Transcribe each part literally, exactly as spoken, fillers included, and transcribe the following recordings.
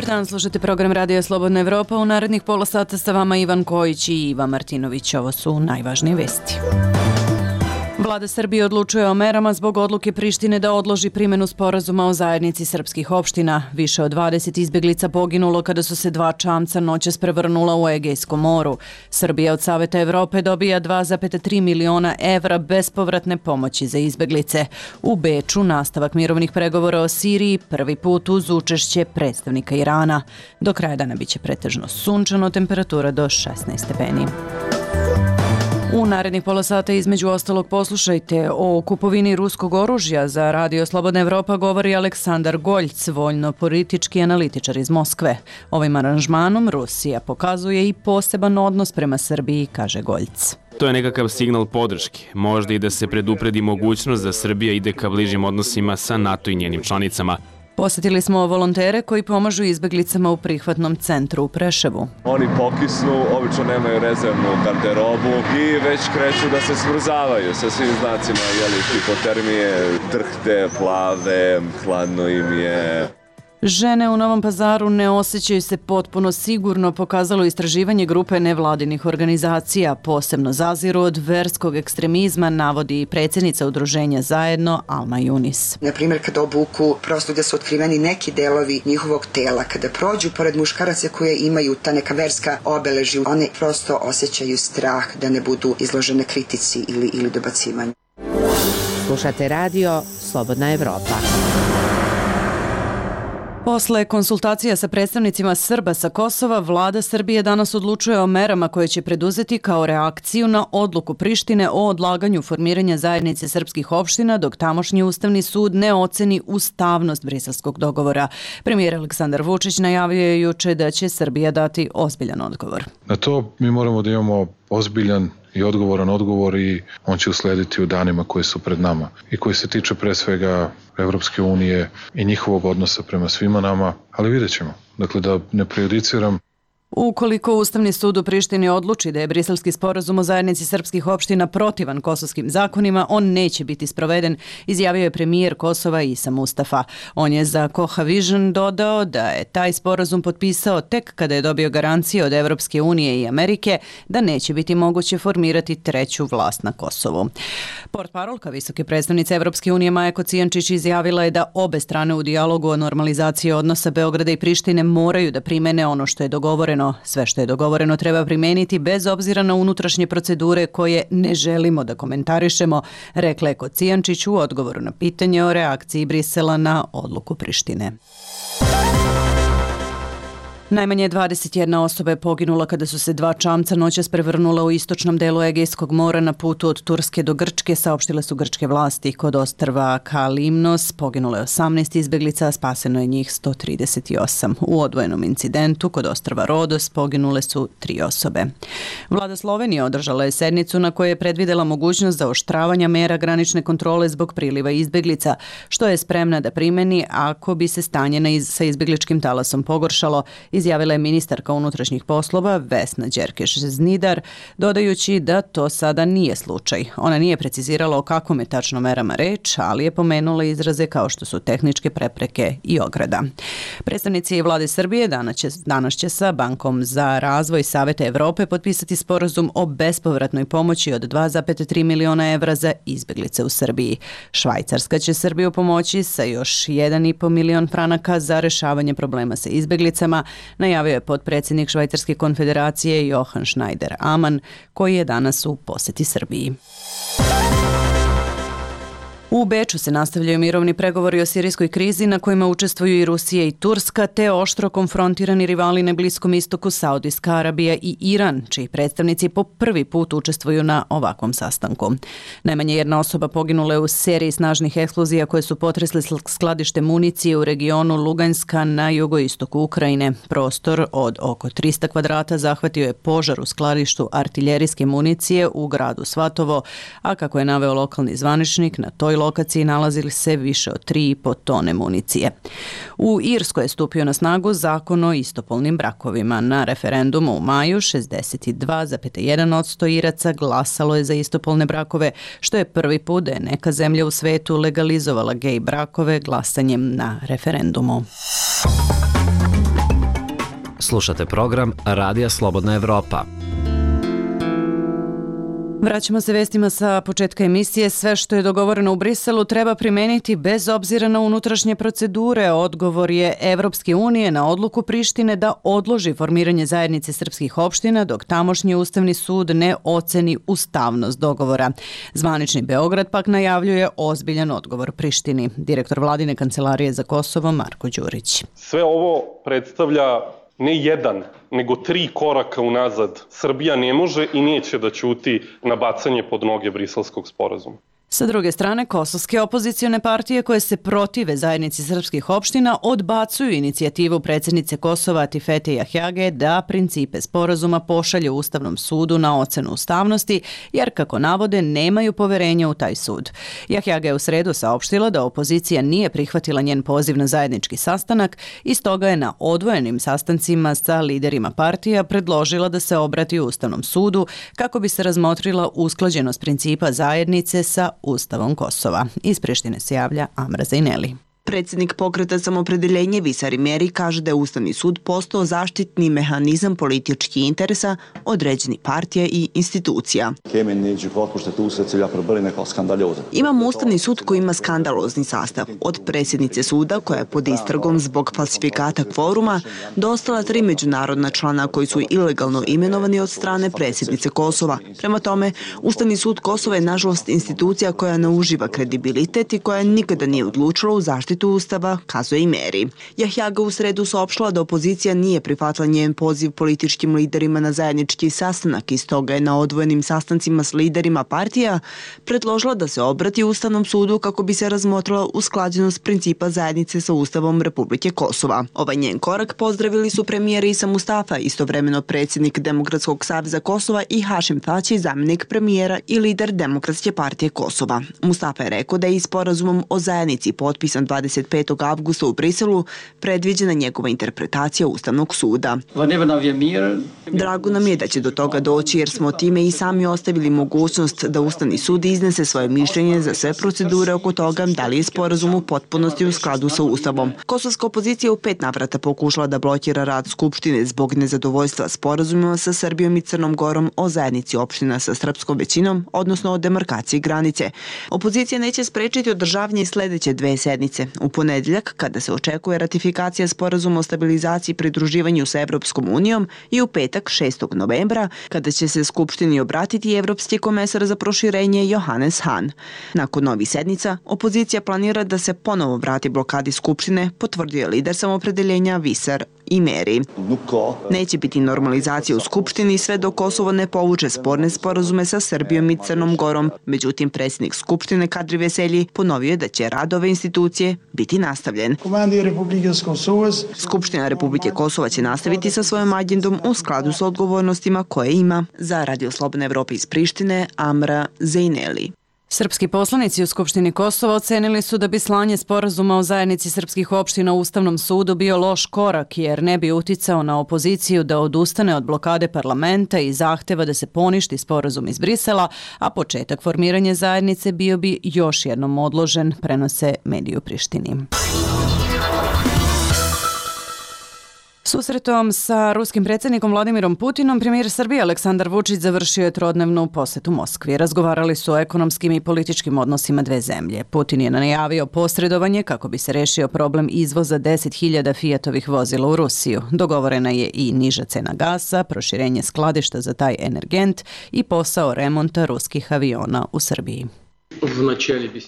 Dobar dan, slušate program Radija Slobodna Evropa. U narednih pola sata sa vama Ivan Kojić i Iva Martinović. Ovo su najvažnije vesti. Vlada Srbije odlučuje o merama zbog odluke Prištine da odloži primjenu sporazuma o zajednici srpskih opština. Više od dvadeset izbjeglica poginulo kada su se dva čamca noćas prevrnula u Egejskom moru. Srbija od Saveta Evrope dobija dva zarez tri miliona evra bespovratne pomoći za izbjeglice. U Beču nastavak mirovnih pregovora o Siriji prvi put uz učešće predstavnika Irana. Do kraja dana biće pretežno sunčano, temperatura do šesnaest stepeni. U narednih pola sata između ostalog poslušajte o kupovini ruskog oružja. Za Radio Slobodna Evropa govori Aleksandar Goljc, voljno-politički analitičar iz Moskve. Ovim aranžmanom Rusija pokazuje i poseban odnos prema Srbiji, kaže Goljc. To je nekakav signal podrške, možda i da se predupredi mogućnost da Srbija ide ka bližim odnosima sa NATO i njenim članicama. Posjetili smo volontere koji pomažu izbjeglicama u prihvatnom centru u Preševu. Oni pokisnu, obično nemaju rezervnu garderobu i već kreću da se smrzavaju sa svim znacima, jeli, hipotermije, drhte, plave, hladno im je. Žene u Novom Pazaru ne osjećaju se potpuno sigurno, pokazalo istraživanje grupe nevladinih organizacija. Posebno zaziru od verskog ekstremizma, navodi i predsjednica udruženja Zajedno, Alma Junis. Na primjer, kada obuku, prosto da su otkriveni neki delovi njihovog tela, kada prođu pored muškaraca koje imaju ta neka verska obeležja, one prosto osjećaju strah da ne budu izložene kritici ili, ili dobacivanju. Slušate radio Slobodna Evropa. Posle konsultacija sa predstavnicima Srba sa Kosova, vlada Srbije danas odlučuje o merama koje će preduzeti kao reakciju na odluku Prištine o odlaganju formiranja zajednice srpskih opština, dok tamošnji Ustavni sud ne oceni ustavnost briselskog dogovora. Premijer Aleksandar Vučić najavio je juče da će Srbija dati ozbiljan odgovor. Na to mi moramo da imamo ozbiljan i odgovoran odgovor i on će uslediti u danima koji su pred nama i koji se tiče pre svega Evropske unije i njihovog odnosa prema svima nama, ali vidjet ćemo. Dakle, da ne prejudiciram. Ukoliko Ustavni sud u Prištini odluči da je briselski sporazum o zajednici srpskih opština protivan kosovskim zakonima, on neće biti sproveden, izjavio je premijer Kosova Isa Mustafa. On je za Koha Vision dodao da je taj sporazum potpisao tek kada je dobio garancije od Evropske unije i Amerike da neće biti moguće formirati treću vlast na Kosovu. Portparolka visoke predstavnice Evropske unije Maja Kocijančić izjavila je da obe strane u dijalogu o normalizaciji odnosa Beograda i Prištine moraju da primene ono što je dogovoreno. Sve što je dogovoreno treba primeniti bez obzira na unutrašnje procedure koje ne želimo da komentarišemo, rekla je Kocijančić u odgovoru na pitanje o reakciji Brisela na odluku Prištine. Najmanje dvadeset jedna osoba je poginula kada su se dva čamca noćas prevrnula u istočnom delu Egejskog mora na putu od Turske do Grčke, saopštile su grčke vlasti. Kod ostrva Kalimnos poginulo je osamnaest izbjeglica, a spaseno je njih sto trideset osam. U odvojenom incidentu kod ostrva Rodos poginule su tri osobe. Vlada Slovenije održala je sednicu na kojoj je predvidela mogućnost zaoštravanja mera granične kontrole zbog priliva izbjeglica, što je spremna da primeni ako bi se stanje na iz, sa izbjegličkim talasom pogoršalo, izjavila je ministarka unutrašnjih poslova Vesna Đerkeš-Znidar, dodajući da to sada nije slučaj. Ona nije precizirala o kakvom je tačno merama reč, ali je pomenula izraze kao što su tehničke prepreke i ograda. Predstavnici vlade Srbije danas će, danas će sa Bankom za razvoj Saveta Evrope potpisati sporazum o bespovratnoj pomoći od dva zarez tri miliona evra za izbjeglice u Srbiji. Švajcarska će Srbiju pomoći sa još jedan i po milion franaka za rešavanje problema sa izbjeglicama, najavio je potpredsjednik Švajcarske konfederacije Johan Schneider-Aman, koji je danas u posjeti Srbiji. U Beču se nastavljaju mirovni pregovori o sirijskoj krizi na kojima učestvuju i Rusija i Turska, te oštro konfrontirani rivali na Bliskom istoku Saudijska Arabija i Iran, čiji predstavnici po prvi put učestvuju na ovakvom sastanku. Najmanje jedna osoba poginula je u seriji snažnih eksplozija koje su potresle skladište municije u regionu Luganska na jugoistoku Ukrajine. Prostor od oko trista kvadrata zahvatio je požar u skladištu artiljerijske municije u gradu Svatovo, a kako je naveo lokalni zvaničnik, na toj lokaciji nalazili se više od tri i po tone municije. U Irskoj je stupio na snagu zakon o istopolnim brakovima. Na referendumu u maju šezdeset dva zarez jedan posto Iraca glasalo je za istopolne brakove, što je prvi put da je neka zemlja u svetu legalizovala gej brakove glasanjem na referendumu. Slušate program Radija Slobodna Evropa. Vraćamo se vestima sa početka emisije. Sve što je dogovoreno u Briselu treba primeniti bez obzira na unutrašnje procedure. Odgovor je Evropske unije na odluku Prištine da odloži formiranje zajednice srpskih opština dok tamošnji Ustavni sud ne oceni ustavnost dogovora. Zvanični Beograd pak najavljuje ozbiljan odgovor Prištini. Direktor Vladine kancelarije za Kosovo Marko Đurić. Sve ovo predstavlja ne jedan, nego tri koraka unazad. Srbija ne može i neće da ćuti na bacanje pod noge Briselskog sporazuma. Sa druge strane, kosovske opozicione partije koje se protive zajednici srpskih opština odbacuju inicijativu predsjednice Kosova Atifete Jahjage da principe sporazuma pošalje Ustavnom sudu na ocenu ustavnosti, jer, kako navode, nemaju poverenja u taj sud. Jahjaga je u sredu saopštila da opozicija nije prihvatila njen poziv na zajednički sastanak i stoga je na odvojenim sastancima sa liderima partija predložila da se obrati Ustavnom sudu kako bi se razmotrila usklađenost principa zajednice sa Ustavom Kosova. Iz Prištine se javlja Amra Zajneli. Predsjednik pokreta Samopredeljenje Visar Imeri kaže da je Ustavni sud postao zaštitni mehanizam političkih interesa određenih partija i institucija. Imamo Ustavni sud koji ima skandalozni sastav. Od predsjednice suda, koja je pod istragom zbog falsifikata kvoruma, do ostala tri međunarodna člana koji su ilegalno imenovani od strane predsjednice Kosova. Prema tome, Ustavni sud Kosova je nažalost institucija koja ne uživa kredibilitet i koja nikada nije odlučila u zaštitu Ustava, kazuje Imeri. Jahjaga u sredu saopštila da opozicija nije prihvatila njen poziv političkim liderima na zajednički sastanak i stoga je na odvojenim sastancima s liderima partija predložila da se obrati Ustavnom sudu kako bi se razmotrila usklađenost principa zajednice sa Ustavom Republike Kosova. Ovaj njen korak pozdravili su premijer Isa Mustafa, istovremeno predsjednik Demokratskog saveza Kosova, i Hašim Tači, zamjenik premijera i lider Demokratske partije Kosova. Mustafa je rekao da je i sporazumom o zajednici potpisan dvadeset petog avgusta u Briselu predviđena njegova interpretacija Ustavnog suda. Drago nam je da će do toga doći jer smo time i sami ostavili mogućnost da Ustavni sud iznese svoje mišljenje za sve procedure oko toga da li je sporazum u potpunosti u skladu sa Ustavom. Kosovska opozicija u pet navrata pokušala da blokira rad Skupštine zbog nezadovoljstva sporazumima sa Srbijom i Crnom Gorom o zajednici opština sa srpskom većinom, odnosno o demarkaciji granice. Opozicija neće sprečiti održavanje sledeće dve sednice. U ponedjeljak, kada se očekuje ratifikacija sporazuma o stabilizaciji i pridruživanju sa Evropskom unijom, i u petak šestog novembra, kada će se Skupštini obratiti Evropski komesar za proširenje Johannes Hahn. Nakon novih sednica, opozicija planira da se ponovo vrati blokadi Skupštine, potvrdio je lider Samopredeljenja Visar Imeri. Neće biti normalizacije u Skupštini sve dok Kosovo ne povuče sporne sporazume sa Srbijom i Crnom Gorom. Međutim, predsjednik Skupštine Kadri Veselji ponovio je da će rad ove institucije biti nastavljen. Skupština Republike Kosova će nastaviti sa svojom agendom u skladu sa odgovornostima koje ima. Za Radio Slobodna Evropa iz Prištine, Amra Zajneli. Srpski poslanici u Skupštini Kosova ocenili su da bi slanje sporazuma o zajednici srpskih opština u Ustavnom sudu bio loš korak jer ne bi uticao na opoziciju da odustane od blokade parlamenta i zahteva da se poništi sporazum iz Brisela, a početak formiranja zajednice bio bi još jednom odložen, prenose mediji u Prištini. Susretom sa ruskim predsjednikom Vladimirom Putinom, premijer Srbije Aleksandar Vučić završio je trodnevnu posetu Moskvi. Razgovarali su o ekonomskim i političkim odnosima dve zemlje. Putin je najavio posredovanje kako bi se rešio problem izvoza deset hiljada Fiatovih vozila u Rusiju. Dogovorena je i niža cena gasa, proširenje skladišta za taj energent i posao remonta ruskih aviona u Srbiji.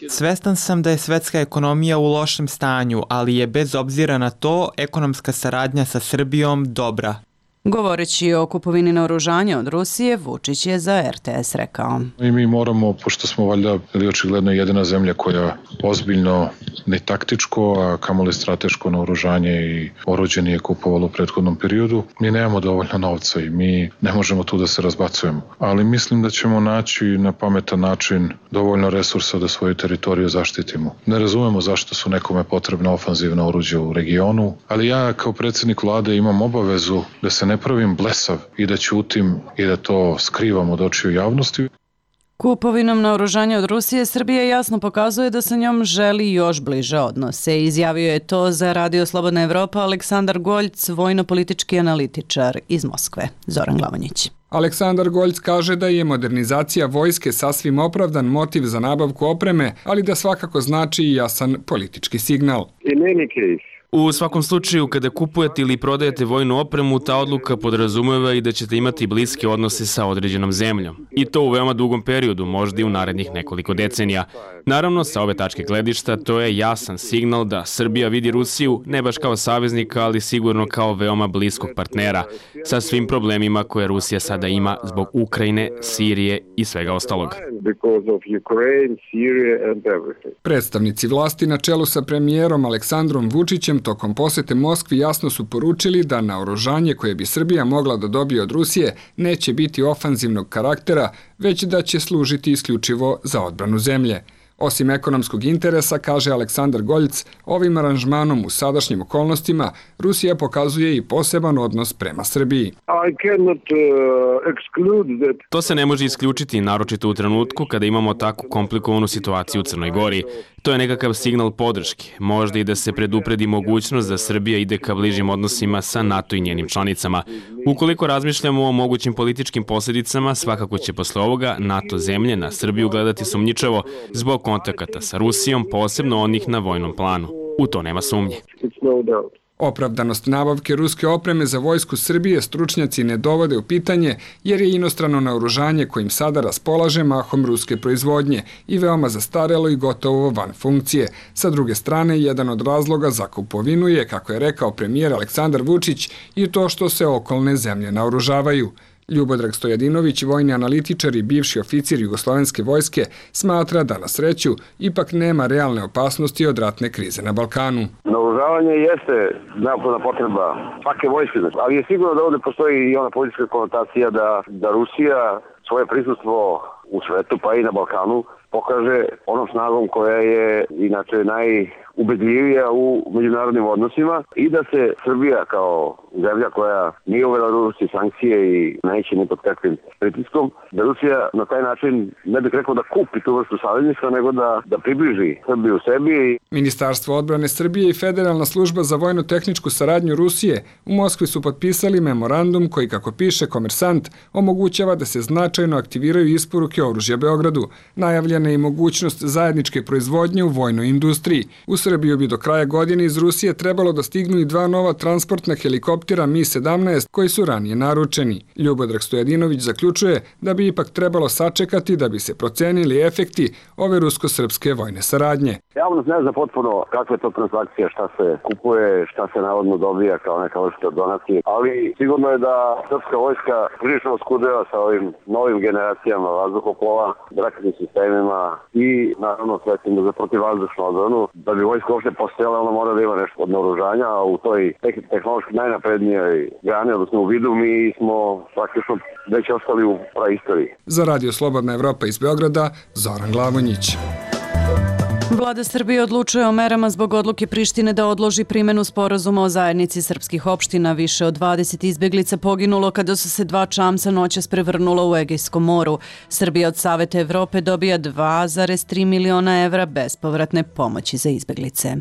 Svestan sam da je svetska ekonomija u lošem stanju, ali je bez obzira na to ekonomska saradnja sa Srbijom dobra. Govoreći o kupovini naoružanja od Rusije, Vučić je za R T S rekao. I mi moramo, pošto smo valjda ili očigledno jedina zemlja koja ozbiljno ne taktičko, a kamoli strateško naoružanje i oruđe nije kupovalo u prethodnom periodu, mi nemamo dovoljno novca i mi ne možemo tu da se razbacujemo. Ali mislim da ćemo naći na pametan način dovoljno resursa da svoju teritoriju zaštitimo. Ne razumemo zašto su nekome potrebna ofanzivna oruđa u regionu, ali ja kao predsjednik vlade imam obavezu da se ne pravim blesav i da ćutim i da to skrivam od očiju javnosti. Kupovinom naoružanja od Rusije Srbija jasno pokazuje da sa njom želi još bliže odnose. Izjavio je to za Radio Slobodna Evropa Aleksandar Goljc, vojno-politički analitičar iz Moskve. Zoran Glavonjić. Aleksandar Goljc kaže da je modernizacija vojske sasvim opravdan motiv za nabavku opreme, ali da svakako znači i jasan politički signal. U svakom slučaju, kada kupujete ili prodajete vojnu opremu, ta odluka podrazumeva i da ćete imati bliske odnose sa određenom zemljom. I to u veoma dugom periodu, možda i u narednih nekoliko decenija. Naravno, sa ove tačke gledišta, to je jasan signal da Srbija vidi Rusiju ne baš kao saveznika, ali sigurno kao veoma bliskog partnera, sa svim problemima koje Rusija sada ima zbog Ukrajine, Sirije i svega ostalog. Predstavnici vlasti na čelu sa premijerom Aleksandrom Vučićem tokom posete Moskvi jasno su poručili da naoružanje koje bi Srbija mogla da dobije od Rusije neće biti ofanzivnog karaktera, već da će služiti isključivo za odbranu zemlje. Osim ekonomskog interesa, kaže Aleksandar Goljc, ovim aranžmanom u sadašnjim okolnostima Rusija pokazuje i poseban odnos prema Srbiji. To se ne može isključiti, naročito u trenutku kada imamo takvu komplikovanu situaciju u Crnoj Gori. To je nekakav signal podrške, možda i da se predupredi mogućnost da Srbija ide ka bližim odnosima sa NATO i njenim članicama. Ukoliko razmišljamo o mogućim političkim posljedicama, svakako će posle ovoga NATO zemlje na Srbiju gledati sumnjičavo zbog kontakata sa Rusijom, posebno onih na vojnom planu. U to nema sumnje. Opravdanost nabavke ruske opreme za vojsku Srbije stručnjaci ne dovode u pitanje jer je inostrano naoružanje kojim sada raspolaže mahom ruske proizvodnje i veoma zastarelo i gotovo van funkcije. Sa druge strane, jedan od razloga za kupovinu je, kako je rekao premijer Aleksandar Vučić, i to što se okolne zemlje naoružavaju. Ljubodrag Stojadinović, vojni analitičar i bivši oficir Jugoslovenske vojske, smatra da na sreću ipak nema realne opasnosti od ratne krize na Balkanu. Naoružavanje jeste neophodna potreba svake vojske, ali je sigurno da ovde postoji i ona politička konotacija da, da Rusija svoje prisustvo u svetu, pa i na Balkanu, pokaže onom snagom koja je inače najubedljivija u međunarodnim odnosima i da se Srbija kao zemlja koja nije uvela Rusiji sankcije i neće ni pod kakvim pritiskom, da Rusija na taj način, ne bih rekao da kupi tu vrstu savezništva, nego da, da približi Srbiju sebi. Ministarstvo odbrane Srbije i Federalna služba za vojno-tehničku saradnju Rusije u Moskvi su potpisali memorandum koji, kako piše Komersant, omogućava da se značajno aktiviraju isporuke oružja Beogradu. Najavljena je i mogućnost zajedničke proizvodnje u vojnoj industriji. U Srbiju bi do kraja godine iz Rusije trebalo da stignu i dva nova transportna helikoptera Mi sedamnaest koji su ranije naručeni. Ljubodrag Stojadinović zaključuje da bi ipak trebalo sačekati da bi se procenili efekti ove rusko-srpske vojne saradnje. Javnost ne zna potpuno kakva je to transakcija, šta se kupuje, šta se navodno dobija kao neka vrsta donacije, ali sigurno je da srpska vojska prilično oskudeva sa ovim novim generacijama vazduhoplova, raketnim sistemima i naravno sredstvima za protivvazdušnu odbranu. Da bi vojska uopšte postojala, ona mora da ima nešto od naoružanja, a u toj tehnološki najnaprednijoj grani, odnosno u vidu, mi smo praktično već ostali u praistoriji. Za Radio Slobodna Evropa iz Beograda, Zoran Glavonjić. Vlada Srbije odlučuje o merama zbog odluke Prištine da odloži primenu sporazuma o zajednici srpskih opština. Više od dvadeset izbeglica poginulo kada su se dva čamca noćas prevrnula u Egejskom moru. Srbija od Saveta Evrope dobija dva zarez tri miliona evra bespovratne pomoći za izbeglice.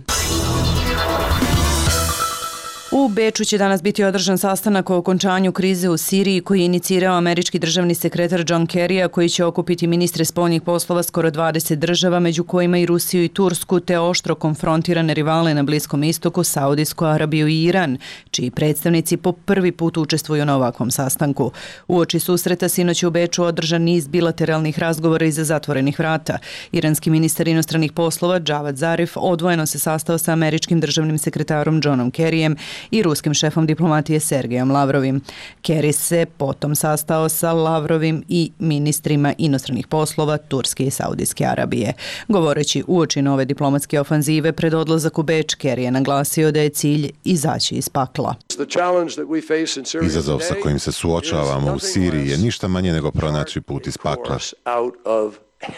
U Beču će danas biti održan sastanak o okončanju krize u Siriji koji je inicirao američki državni sekretar John Kerry, a koji će okupiti ministre spoljnih poslova skoro dvadeset država, među kojima i Rusiju i Tursku, te oštro konfrontirane rivale na Bliskom istoku, Saudijsku Arabiju i Iran, čiji predstavnici po prvi put učestvuju na ovakvom sastanku. Uoči susreta sinoć u Beču održan niz bilateralnih razgovora iza zatvorenih vrata. Iranski ministar inostranih poslova Javad Zarif odvojeno se sastao sa američkim državnim sekretarom Johnom Kerryjem i ruskim šefom diplomatije Sergejom Lavrovim. Kerry se potom sastao sa Lavrovim i ministrima inostranih poslova Turske i Saudijske Arabije. Govoreći uoči nove diplomatske ofanzive pred odlazak u Beč, Kerry je naglasio da je cilj izaći iz pakla. Izazov sa kojim se suočavamo u Siriji je ništa manje nego pronaći put iz pakla.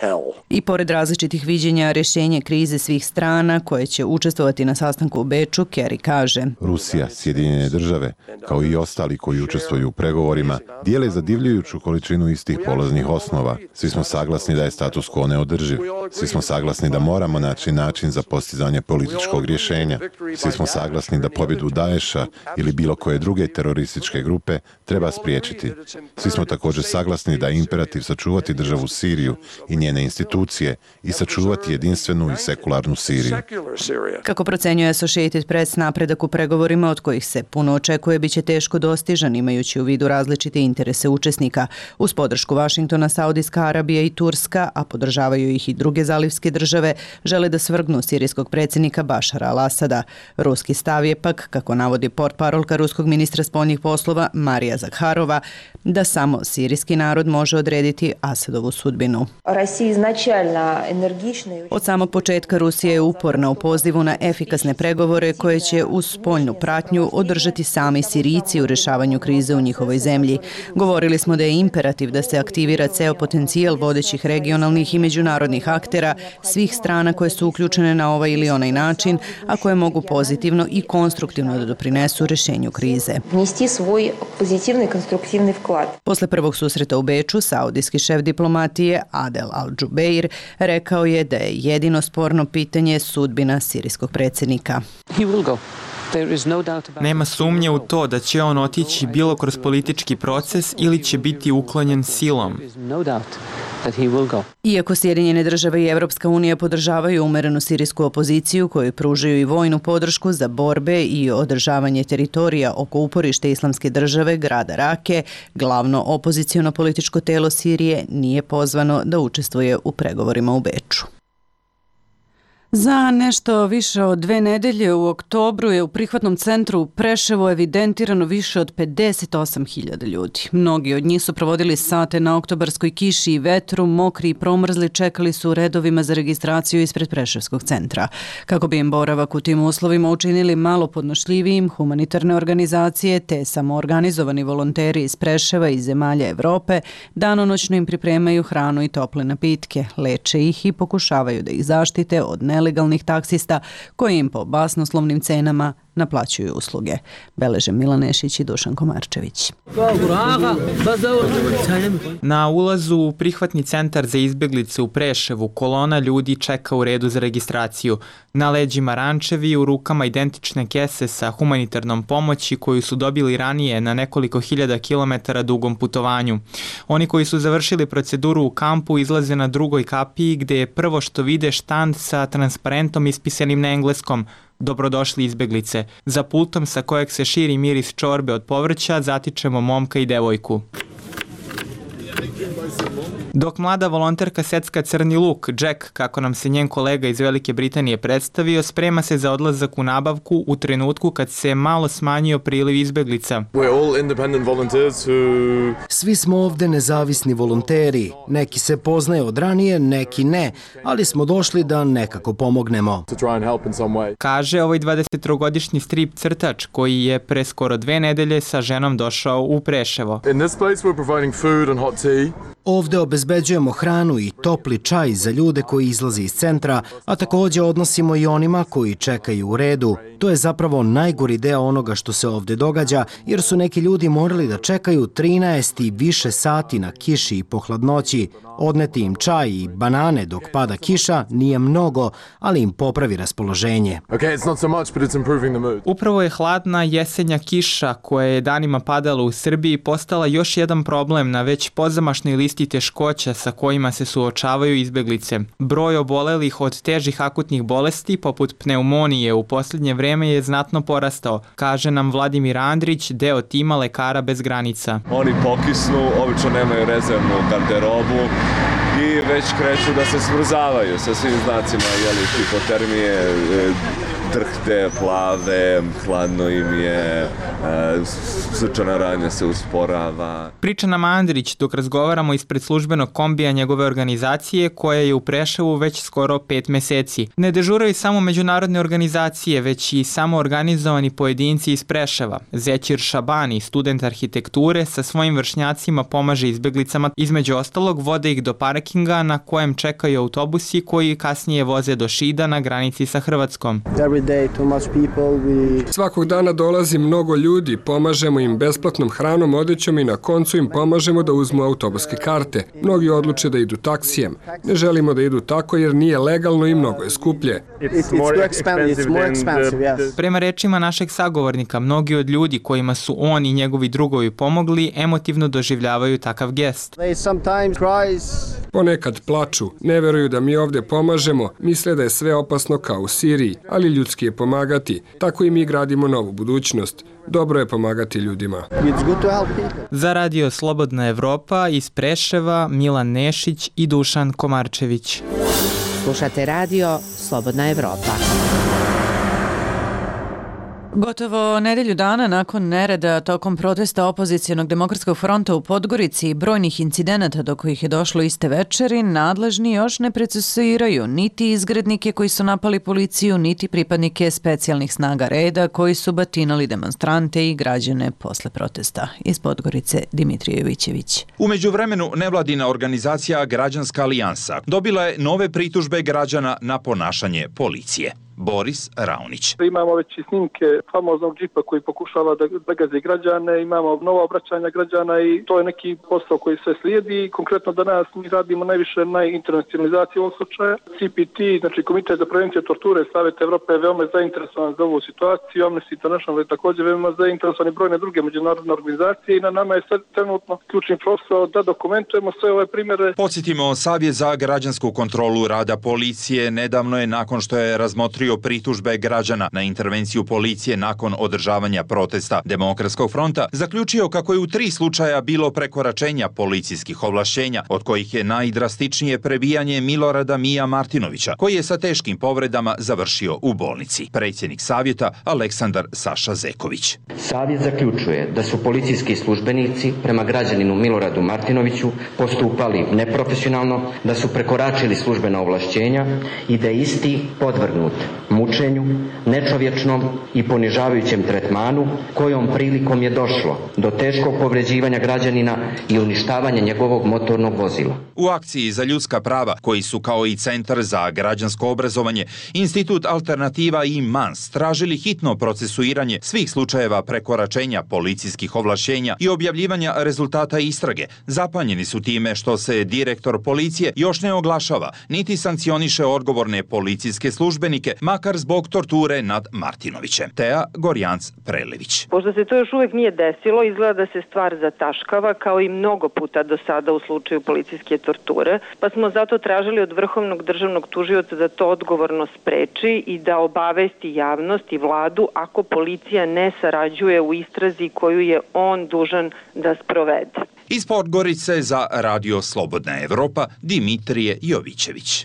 hell. I pored različitih viđenja rješenje krize svih strana koje će učestvovati na sastanku u Beču, Kerry kaže: Rusija, Sjedinjene države, kao i ostali koji učestvuju u pregovorima, dijele zadivljujuću količinu istih polaznih osnova. Svi smo saglasni da je status quo neodrživ. Svi smo saglasni da moramo naći način za postizanje političkog rješenja. Svi smo saglasni da pobjedu Daesha ili bilo koje druge terorističke grupe treba spriječiti. Svi smo također saglasni da je imperativ sačuvati državu Siriju i njene institucije i sačuvati jedinstvenu i sekularnu Siriju. Kako procenjuje Associated Press, napredak u pregovorima od kojih se puno očekuje biće teško dostižan imajući u vidu različite interese učesnika. Uz podršku Vašingtona, Saudijska Arabija i Turska, a podržavaju ih i druge zalivske države, žele da svrgnu sirijskog predsjednika Bašara al-Asada. Ruski stav je pak, kako navodi portparolka ruskog ministra spoljnih poslova Marija Zakharova, da samo sirijski narod može odrediti Asadovu sudbinu. Od samog početka Rusija je uporna u pozivu na efikasne pregovore koje će uz spoljnu pratnju održati sami Sirijci u rješavanju krize u njihovoj zemlji. Govorili smo da je imperativ da se aktivira ceo potencijal vodećih regionalnih i međunarodnih aktera svih strana koje su uključene na ovaj ili onaj način, a koje mogu pozitivno i konstruktivno da doprinesu rješenju krize. Posle prvog susreta u Beču, saudijski šef diplomatije Adel Al-Jubeir rekao je da je jedino sporno pitanje sudbina sirijskog predsjednika. Nema sumnje u to da će on otići bilo kroz politički proces ili će biti uklonjen silom. Iako Sjedinjene države i Evropska unija podržavaju umerenu sirijsku opoziciju koju pružaju i vojnu podršku za borbe i održavanje teritorija oko uporište Islamske države grada Rake, glavno opoziciono političko telo Sirije nije pozvano da učestvuje u pregovorima u Beču. Za nešto više od dve nedelje u oktobru je u prihvatnom centru u Preševu evidentirano više od pedeset osam hiljada ljudi. Mnogi od njih su provodili sate na oktobarskoj kiši i vetru, mokri i promrzli, čekali su u redovima za registraciju ispred Preševskog centra. Kako bi im boravak u tim uslovima učinili malo podnošljivijim, humanitarne organizacije te samoorganizovani volonteri iz Preševa i zemalja Evrope danonoćno im pripremaju hranu i tople napitke, leče ih i pokušavaju da ih zaštite od nelegalnih legalnih taksista koji im po basnoslovnim cenama naplaćuju usluge. Beleže Milan Nešić i Dušan Komarčević. Na ulazu u prihvatni centar za izbjeglice u Preševu kolona ljudi čeka u redu za registraciju. Na leđima rančevi, u rukama identične kese sa humanitarnom pomoći koju su dobili ranije na nekoliko hiljada kilometara dugom putovanju. Oni koji su završili proceduru u kampu izlaze na drugoj kapiji gdje je prvo što vide štand sa transparentom ispisanim na engleskom: Dobrodošli izbjeglice. Za pultom sa kojeg se širi miris čorbe od povrća zatičemo momka i devojku. Dok mlada volonterka secka crni luk, Jack, kako nam se njen kolega iz Velike Britanije predstavio, sprema se za odlazak u nabavku u trenutku kad se malo smanjio priliv izbjeglica. Who... Svi smo ovdje nezavisni volonteri. Neki se poznaju od ranije, neki ne, ali smo došli da nekako pomognemo. Kaže ovaj dvadesettrogodišnji strip crtač koji je pre skoro dve nedelje sa ženom došao u Preševo. In this place we're providing food and hot tea. Ovdje obezbeđujemo hranu i topli čaj za ljude koji izlaze iz centra, a također odnosimo i onima koji čekaju u redu. To je zapravo najgori deo onoga što se ovdje događa, jer su neki ljudi morali da čekaju trinaest i više sati na kiši i po hladnoći. Odneti im čaj i banane dok pada kiša nije mnogo, ali im popravi raspoloženje. Okay, it's not so much, but it's improving the mood. Upravo je hladna jesenja kiša koja je danima padala u Srbiji postala još jedan problem na već pozamašnoj listi teškoća sa kojima se suočavaju izbjeglice. Broj obolelih od težih akutnih bolesti poput pneumonije u posljednje vreme je znatno porastao, kaže nam Vladimir Andrić, deo tima Lekara bez granica. Oni pokisnu, obično nemaju rezervnu garderobu i već kreću da se smrzavaju sa svim znacima jeli, hipotermije, drhte, plave, hladno im je, srčana radnja se usporava. Priča nam Andrić dok razgovaramo ispred službenog kombija njegove organizacije koja je u Preševu već skoro pet meseci. Ne dežuraju samo međunarodne organizacije, već i samo organizovani pojedinci iz Preševa. Zećir Šabani, student arhitekture, sa svojim vršnjacima pomaže izbeglicama. Između ostalog, vode ih do parkinga na kojem čekaju autobusi koji kasnije voze do Šida na granici sa Hrvatskom. Svakog dana dolazi mnogo ljudi, pomažemo im besplatnom hranom, odećom i na koncu im pomažemo da uzmu autobuske karte. Mnogi odluče da idu taksijem. Ne želimo da idu tako jer nije legalno i mnogo je skuplje. Prema rečima našeg sagovornika, mnogi od ljudi kojima su on i njegovi drugovi pomogli emotivno doživljavaju takav gest. Ponekad plaču, ne veruju da mi ovdje pomažemo, misle da je sve opasno kao u Siriji, ali ljudski je pomagati. Tako i mi gradimo novu budućnost. Dobro je pomagati ljudima. Za Radio Slobodna Evropa iz Preševa Milan Nešić i Dušan Komarčević. Slušate Radio Slobodna Evropa. Gotovo nedelju dana nakon nereda tokom protesta opozicijonog demokratskog fronta u Podgorici i brojnih incidenata do kojih je došlo iste večeri, nadležni još ne procesuiraju niti izgrednike koji su napali policiju, niti pripadnike specijalnih snaga reda koji su batinali demonstrante i građane posle protesta. Iz Podgorice Dimitrije Jovićević. U međuvremenu nevladina organizacija Građanska alijansa dobila je nove pritužbe građana na ponašanje policije. Boris Raunić. Imamo već i snimke famoznog džipa koji pokušava da begazi građane, imamo nova obraćanja građana i to je neki posao koji sve slijedi. Konkretno danas mi radimo najviše na internacionalizaciji ovog slučaja. C P T, znači Komitet za prevenciju torture Saveta Evrope je veoma zainteresovan za ovu situaciju. Amnesty International je također veoma zainteresovan i brojne druge međunarodne organizacije i na nama je sad trenutno ključni posao da dokumentujemo sve ove primjere. Podsjetimo, Savjet za građansku kontrolu rada policije nedavno je nakon što je razmotrio pritužbe građana na intervenciju policije nakon održavanja protesta Demokratskog fronta, zaključio kako je u tri slučaja bilo prekoračenja policijskih ovlašćenja, od kojih je najdrastičnije prebijanje Milorada Mija Martinovića, koji je sa teškim povredama završio u bolnici. Predsjednik savjeta Aleksandar Saša Zeković. Savjet zaključuje da su policijski službenici prema građaninu Miloradu Martinoviću postupali neprofesionalno, da su prekoračili službena ovlašćenja i da je isti podvrgnut mučenju, nečovječnom i ponižavajućem tretmanu, kojom prilikom je došlo do teškog povređivanja građanina i uništavanja njegovog motornog vozila. U akciji za ljudska prava, koji su kao i Centar za građansko obrazovanje, Institut Alternativa i Mans tražili hitno procesuiranje svih slučajeva prekoračenja policijskih ovlašćenja i objavljivanja rezultata istrage. Zapanjeni su time što se direktor policije još ne oglašava, niti sankcioniše odgovorne policijske službenike, makar zbog torture nad Martinovićem. Teja Gorjanc-Prelević. Pošto se to još uvijek nije desilo, izgleda da se stvar zataškava kao i mnogo puta do sada u slučaju policijske torture, pa smo zato tražili od Vrhovnog državnog tužioca da to odgovorno spreči i da obavesti javnost i vladu ako policija ne sarađuje u istrazi koju je on dužan da sprovede. Iz Podgorice za Radio Slobodna Evropa Dimitrije Jovićević.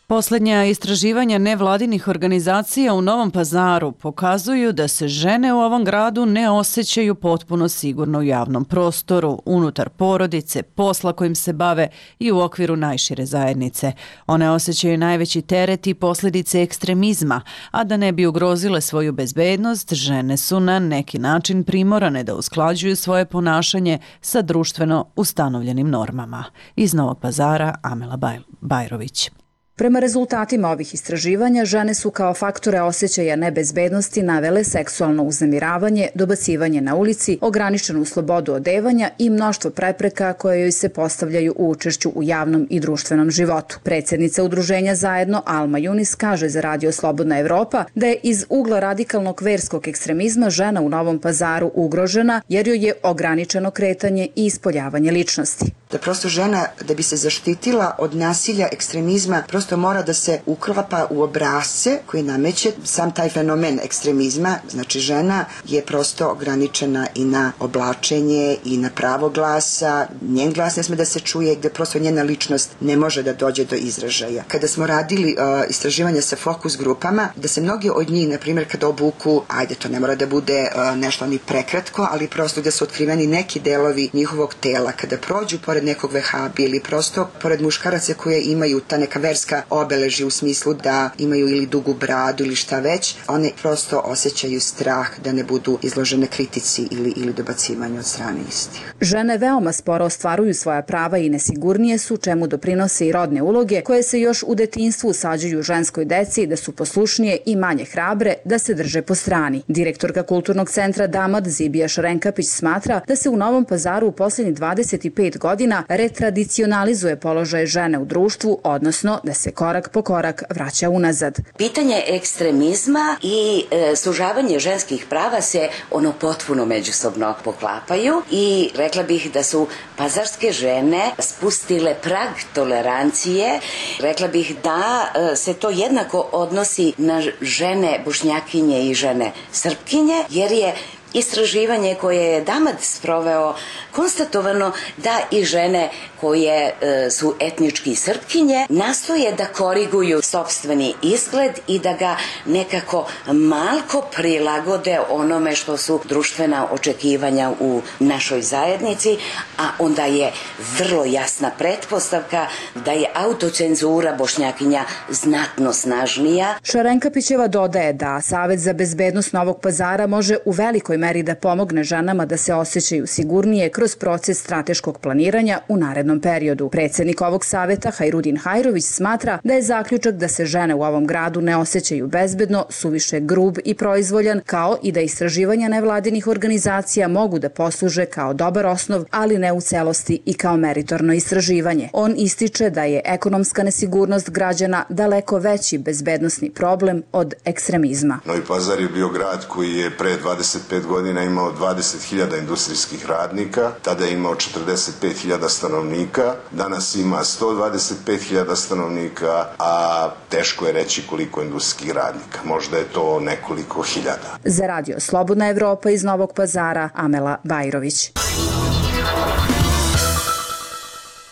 Poslednja istraživanja nevladinih organizacija u Novom Pazaru pokazuju da se žene u ovom gradu ne osjećaju potpuno sigurno u javnom prostoru, unutar porodice, posla kojim se bave i u okviru najšire zajednice. One osjećaju najveći teret i posljedice ekstremizma, a da ne bi ugrozile svoju bezbednost, žene su na neki način primorane da usklađuju svoje ponašanje sa društveno ustanovljenim normama. Iz Novog Pazara, Amela Bajrović. Prema rezultatima ovih istraživanja, žene su kao faktore osjećaja nebezbednosti navele seksualno uznemiravanje, dobacivanje na ulici, ograničenu slobodu odevanja i mnoštvo prepreka koje joj se postavljaju u učešću u javnom i društvenom životu. Predsjednica udruženja Zajedno Alma Junis kaže za Radio Slobodna Evropa da je iz ugla radikalnog verskog ekstremizma žena u Novom Pazaru ugrožena jer joj je ograničeno kretanje i ispoljavanje ličnosti. Da prosto žena, da bi se zaštitila od nasilja, ekstremizma, prosto mora da se uklapa u obrasce koji nameće sam taj fenomen ekstremizma. Znači žena je prosto ograničena i na oblačenje i na pravo glasa, njen glas ne sme da se čuje, gde prosto njena ličnost ne može da dođe do izražaja. Kada smo radili uh, istraživanja sa fokus grupama, da se mnogi od njih, na primjer, kada obuku, ajde, to ne mora da bude uh, nešto ni prekratko, ali prosto gde su otkriveni neki delovi njihovog tela, kada prođu pored nekog vehabi ili prosto pored muškaraca koje imaju ta neka verska obeležja u smislu da imaju ili dugu bradu ili šta već, one prosto osjećaju strah da ne budu izložene kritici ili, ili dobacivanju od strane istih. Žene veoma sporo ostvaruju svoja prava i nesigurnije su, čemu doprinose i rodne uloge koje se još u detinjstvu usađuju ženskoj deci da su poslušnije i manje hrabre, da se drže po strani. Direktorka Kulturnog centra Damad Zibija Šarenkapić smatra da se u Novom Pazaru u posljednjih dvadeset pet godina retradicionalizuje položaj žene u društvu, odnosno da se korak po korak vraća unazad. Pitanje ekstremizma i e, sužavanje ženskih prava se ono potpuno međusobno poklapaju i rekla bih da su pazarske žene spustile prag tolerancije. Rekla bih da e, se to jednako odnosi na žene Bošnjakinje i žene Srpkinje, jer je istraživanje koje je Damad sproveo konstatovano da i žene koje e, su etnički Srpkinje nastoje da koriguju sopstveni izgled i da ga nekako malko prilagode onome što su društvena očekivanja u našoj zajednici, a onda je vrlo jasna pretpostavka da je autocenzura Bošnjakinja znatno snažnija. Šarenkapićeva dodaje da Savet za bezbednost Novog Pazara može u velikoj meri da pomogne ženama da se osjećaju sigurnije kroz proces strateškog planiranja u narednom periodu. Predsednik ovog saveta, Hajrudin Hajrović, smatra da je zaključak da se žene u ovom gradu ne osjećaju bezbedno suviše grub i proizvoljan, kao i da istraživanja nevladinih organizacija mogu da posluže kao dobar osnov, ali ne u celosti i kao meritorno istraživanje. On ističe da je ekonomska nesigurnost građana daleko veći bezbednosni problem od ekstremizma. Novi Pazar je bio grad koji je pre dvadeset pet godina imao dvadeset hiljada industrijskih radnika, tada je imao četrdeset pet hiljada stanovnika, danas ima sto dvadeset pet hiljada stanovnika, a teško je reći koliko industrijskih radnika. Možda je to nekoliko hiljada. Za radio Slobodna Evropa iz Novog Pazara, Amela Bajrović.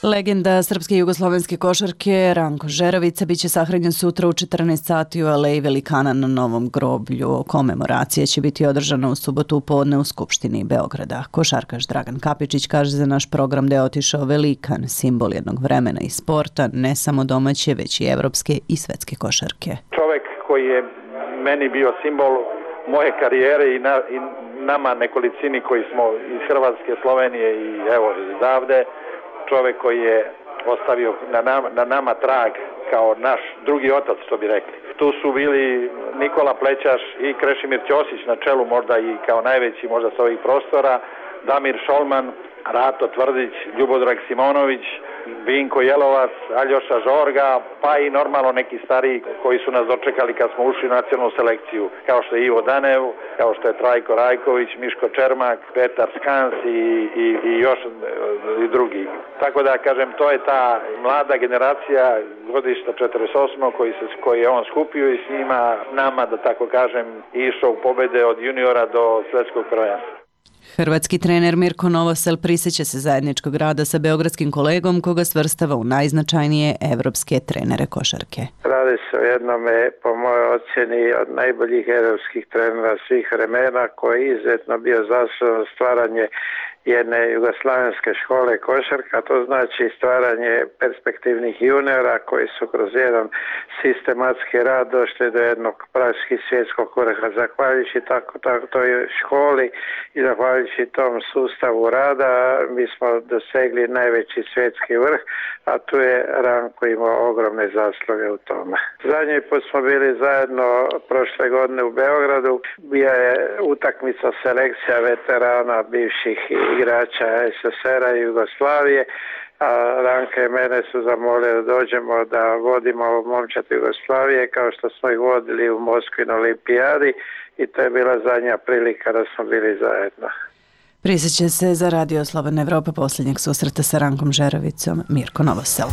Legenda srpske i jugoslovenske košarke Ranko Žeravica biće sahranjen sutra u četrnaest sati u Aleji Velikana na Novom groblju. Komemoracija će biti održana u subotu u podne u Skupštini Beograda. Košarkaš Dragan Kapičić kaže za naš program da je otišao velikan, simbol jednog vremena i sporta, ne samo domaće, već i evropske i svetske košarke. Čovek koji je meni bio simbol moje karijere i, na, i nama nekolicini koji smo iz Hrvatske, Slovenije i evo izdavde, čovek koji je ostavio na nama, na nama trag kao naš drugi otac, što bi rekli. Tu su bili Nikola Plećaš i Krešimir Ćosić na čelu, možda i kao najveći možda sa ovih prostora, Damir Šolman, Rato Tvrdić, Ljubodrag Simonović, Vinko Jelovac, Aljoša Žorga, pa i normalno neki stariji koji su nas dočekali kad smo ušli u nacionalnu selekciju, kao što je Ivo Danev, kao što je Trajko Rajković, Miško Čermak, Petar Skans i, i, i još i drugi. Tako da, kažem, to je ta mlada generacija godišta četrdeset osam koji, se, koji je on skupio i s njima nama, da tako kažem, išao u pobede od juniora do svetskog prvenstva. Hrvatski trener Mirko Novosel prisjeća se zajedničkog rada sa beogradskim kolegom koga svrstava u najznačajnije evropske trenere košarke. Radi se o jednome, po mojoj ocjeni, od najboljih evropskih trenera svih vremena koji je izuzetno bio zaslužan stvaranje jedne jugoslavenske škole košarka, to znači stvaranje perspektivnih juniora koji su kroz jedan sistematski rad došli do jednog praktički svjetskog vrha. Zahvaljujući tako, tako toj školi i zahvaljujući tom sustavu rada mi smo dosegli najveći svjetski vrh, a tu je Ranko imao ogromne zasluge u tome. Zadnji put smo bili zajedno prošle godine u Beogradu, bija je utakmica selekcija veterana bivših igrača es es er a i Jugoslavije, a Ranka i mene su zamolili da dođemo da vodimo momčad Jugoslavije kao što smo ih vodili u Moskvi na olimpijadi i to je bila zadnja prilika da smo bili zajedno. Prisjeća se za Radio Slobodna Evropa posljednjeg susreta sa Rankom Žerovicom Mirko Novosel.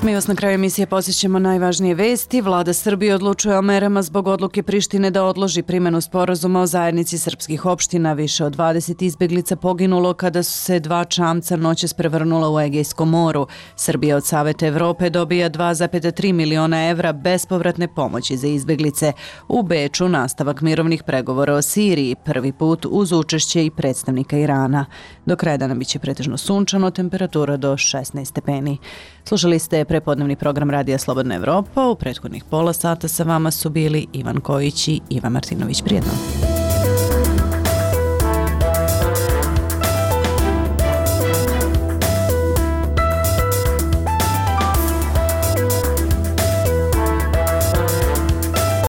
Mi vas na kraju emisije posjećamo najvažnije vesti. Vlada Srbije odlučuje o merama zbog odluke Prištine da odloži primjenu sporazuma o zajednici srpskih opština. Više od dvadeset izbjeglica poginulo kada su se dva čamca noćas prevrnula u Egejskom moru. Srbija od Saveta Evrope dobija dva zarez tri miliona evra bespovratne pomoći za izbjeglice. U Beču nastavak mirovnih pregovora o Siriji, prvi put uz učešće i predstavnika Irana. Do kraja dana biće pretežno sunčano, temperatura do šesnaest stepeni. Slušali ste prepodnevni program Radija Slobodna Evropa. U prethodnih pola sata sa vama su bili Ivan Kojić i Ivan Martinović. Prijetno.